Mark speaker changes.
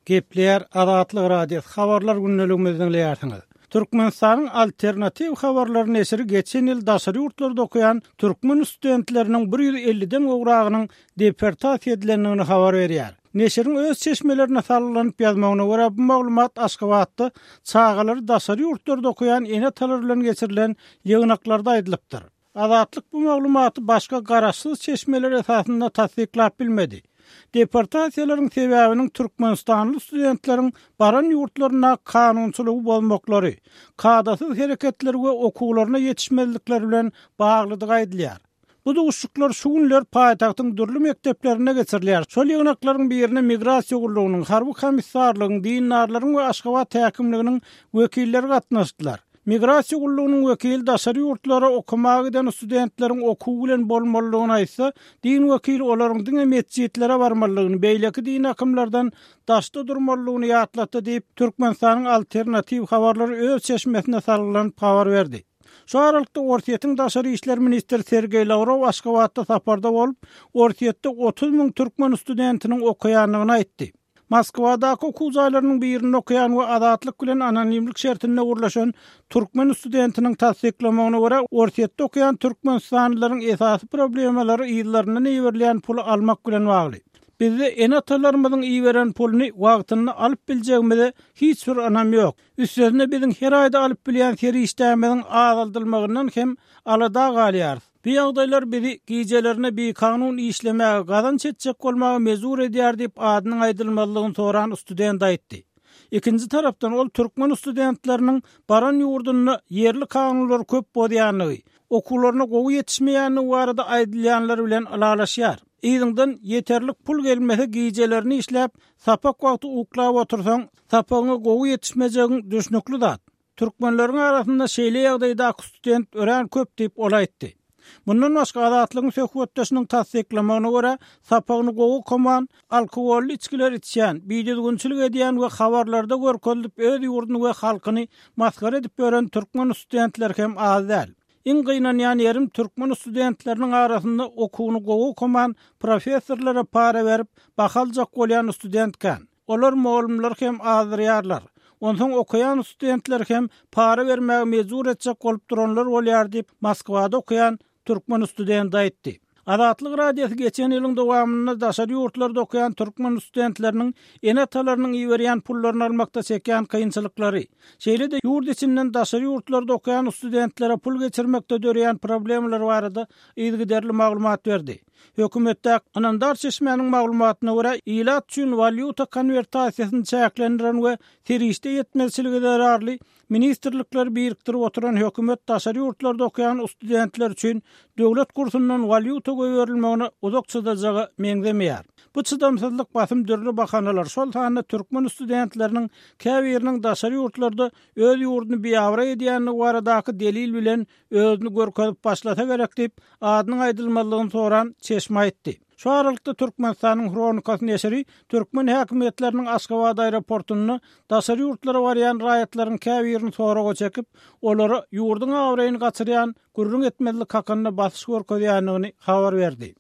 Speaker 1: Gepleýär Azatlyk Radiosy habarlar gündeligimizi diňleýärsiňiz. Türkmenistanyň Alternatiw habarlary neşiri geçen ýyl daşary ýurtlarda okaýan türkmen studentleriniň 150-den gowragynyň deportasiýa edilendigini habar berýär. Neşiriň öz çeşmelerine salgylanyp ýazmagyna görä, bu maglumat Aşgabatda çagalary daşary ýurtlarda okaýan ene-atalar bilen geçirilen ýygnaklarda aýdylypdyr. Azatlyk bu maglumaty başga garaşsyz çeşmeler esasynda tassyklap bilmedi. Deportasiýalaryň sebäbiniň türkmenistanly studentleriň baran ýurtlarynda kanunçylygy bozmaklary, kadasyz hereketleri we okuwlaryna ýetişmezlikleri bilen baglydygy aýdylýar. Bu duşuşyklar şu günler paýtagtyň dürli mekdeplerinde geçirilýär. Şol ýygnaklaryň birine Migrasiýa gullugynyň, harby komissarlygyň, dindarlaryň we Aşgabat häkimliginiň wekilleri gatnaşdylar. Migrasiýa gullugynyň wekili daşary ýurtlara okamaga giden studentleriň okuw bilen bolmalydygyny aýtsa, din wekili olaryň diňe metjitlere barmalydygyny, beýleki dini akymlardan daşda durmalydygyny ýatlatdy diýip, Türkmenistanyň Alternatiw habarlary öz çeşmesine salgylanyp habar berdi. Şu aralykda, Orsýetiň daşary işler ministri Sergeý Lawrow Aşgabatda saparda bolup, Orsýetde 30 müň türkmen studentiniň okaýandygyny aýtdy. Moskwadaky okuw jaýlarynyň birinde okaýan we Azatlyk bilen anonimlik şertinde gürleşen türkmen studentiniň tassyklamagyna görä, Orsýetde okaýan türkmenistanlylaryň esasy problemalary yzlaryndan iberilýän puly almak bilen bagly. Bizde ene-atalarymyzyň iberen puluny wagtynda alyp biljegimize hiç bir ynam ýok. Üstesine biziň her aýda alyp bilýän serişdämiziň azaldylmagyndan hem alada galýarys. Bu ýagdaýlar bizi gijelerine bikanun işlemäge, gazanç etjek bolmaga mejbur edýär diýip, adynyň aýdylmazlygyny soran student aýtdy. Ikinji tarapdan, ol türkmen studentleriniň baran ýurdunda ýerli kanunlary köp bozýandygy, okuwlaryna gowy ýetişmeýändigi barada aýdylýanlar bilen ylalaşýar. Yzyňdan ýeterlik pul gelmese gijelerine işläp, sapak wagty uklap otursaň, sapagyňa gowy ýetişmejegiň düşnükli zat. Türkmenleriň arasynda şeýle ýagdaýdaky student örän köp diýip, ol aýtdy. Mundan başga, Azatlygyň söhbetdeşiniň tassyklamagyna görä, sapagyny gowy okaman, alkogolly içgiler içýän, bidüzgünçilik edýän we habarlarda görkezilip öz ýurduny we halkyny masgara edip ýören türkmen studentleri hem az däl. Iň gynanýan ýerim türkmen studentleriniň arasynda okuwyny gowy okaman, professorlara para berip, baha aljak bolýan student kän. Olar mugallymlary hem azdyrýarlar. Onsoň okaýan studentleri hem para bermäge mejbur etjek bolup duranlar bolýar diýip, Moskwada okaýan türkmen studenti aýtdy. Azatlyk Radiosy geçen ýylyň dowamynda daşary ýurtlarda okaýan türkmen studentleriniň ene-atalarynyň iberýän pullaryny almakda çekýän kynçylyklary, şeýle-de ýurt içinden daşary ýurtlarda okaýan studentlere pul geçirmekde döreýän problemalar barada yzygiderli maglumat berdi. Hökümetdäki ynamdar çeşmäniň maglumatyna görä, ilat üçin walýuta konwertasiýasyny çäklendiren we serişde ýetmezçiligi zerarly ministrlikleri birikdirip oturan hökümet daşary ýurtlarda okaýan studentler üçin döwlet kursundan walýuta goýberilmegine uzak çydajaga meňzemeýär. Bu çydamsyzlyk basym dürli bahanalar, şol sanda türkmen studentleriniň käbiriniň daşary ýurtlarda öz ýurduny biabraý edýändigi baradaky delil bilen özüni görkezip başlasa gerek diýip, adynyň aýdylmazlygyny soran çeşme aýtdy. Şu aralykda Türkmenistanyň Hronikasy neşiri türkmen häkimiýetleriniň Aşgabat aeroportunda daşary ýurtlara barýan raýatlaryň käbirini soraga çekip, olara ýurduň abraýyny gaçyrýan gürrüň etmezlik hakynda basyş görkezýändigini habar berdi.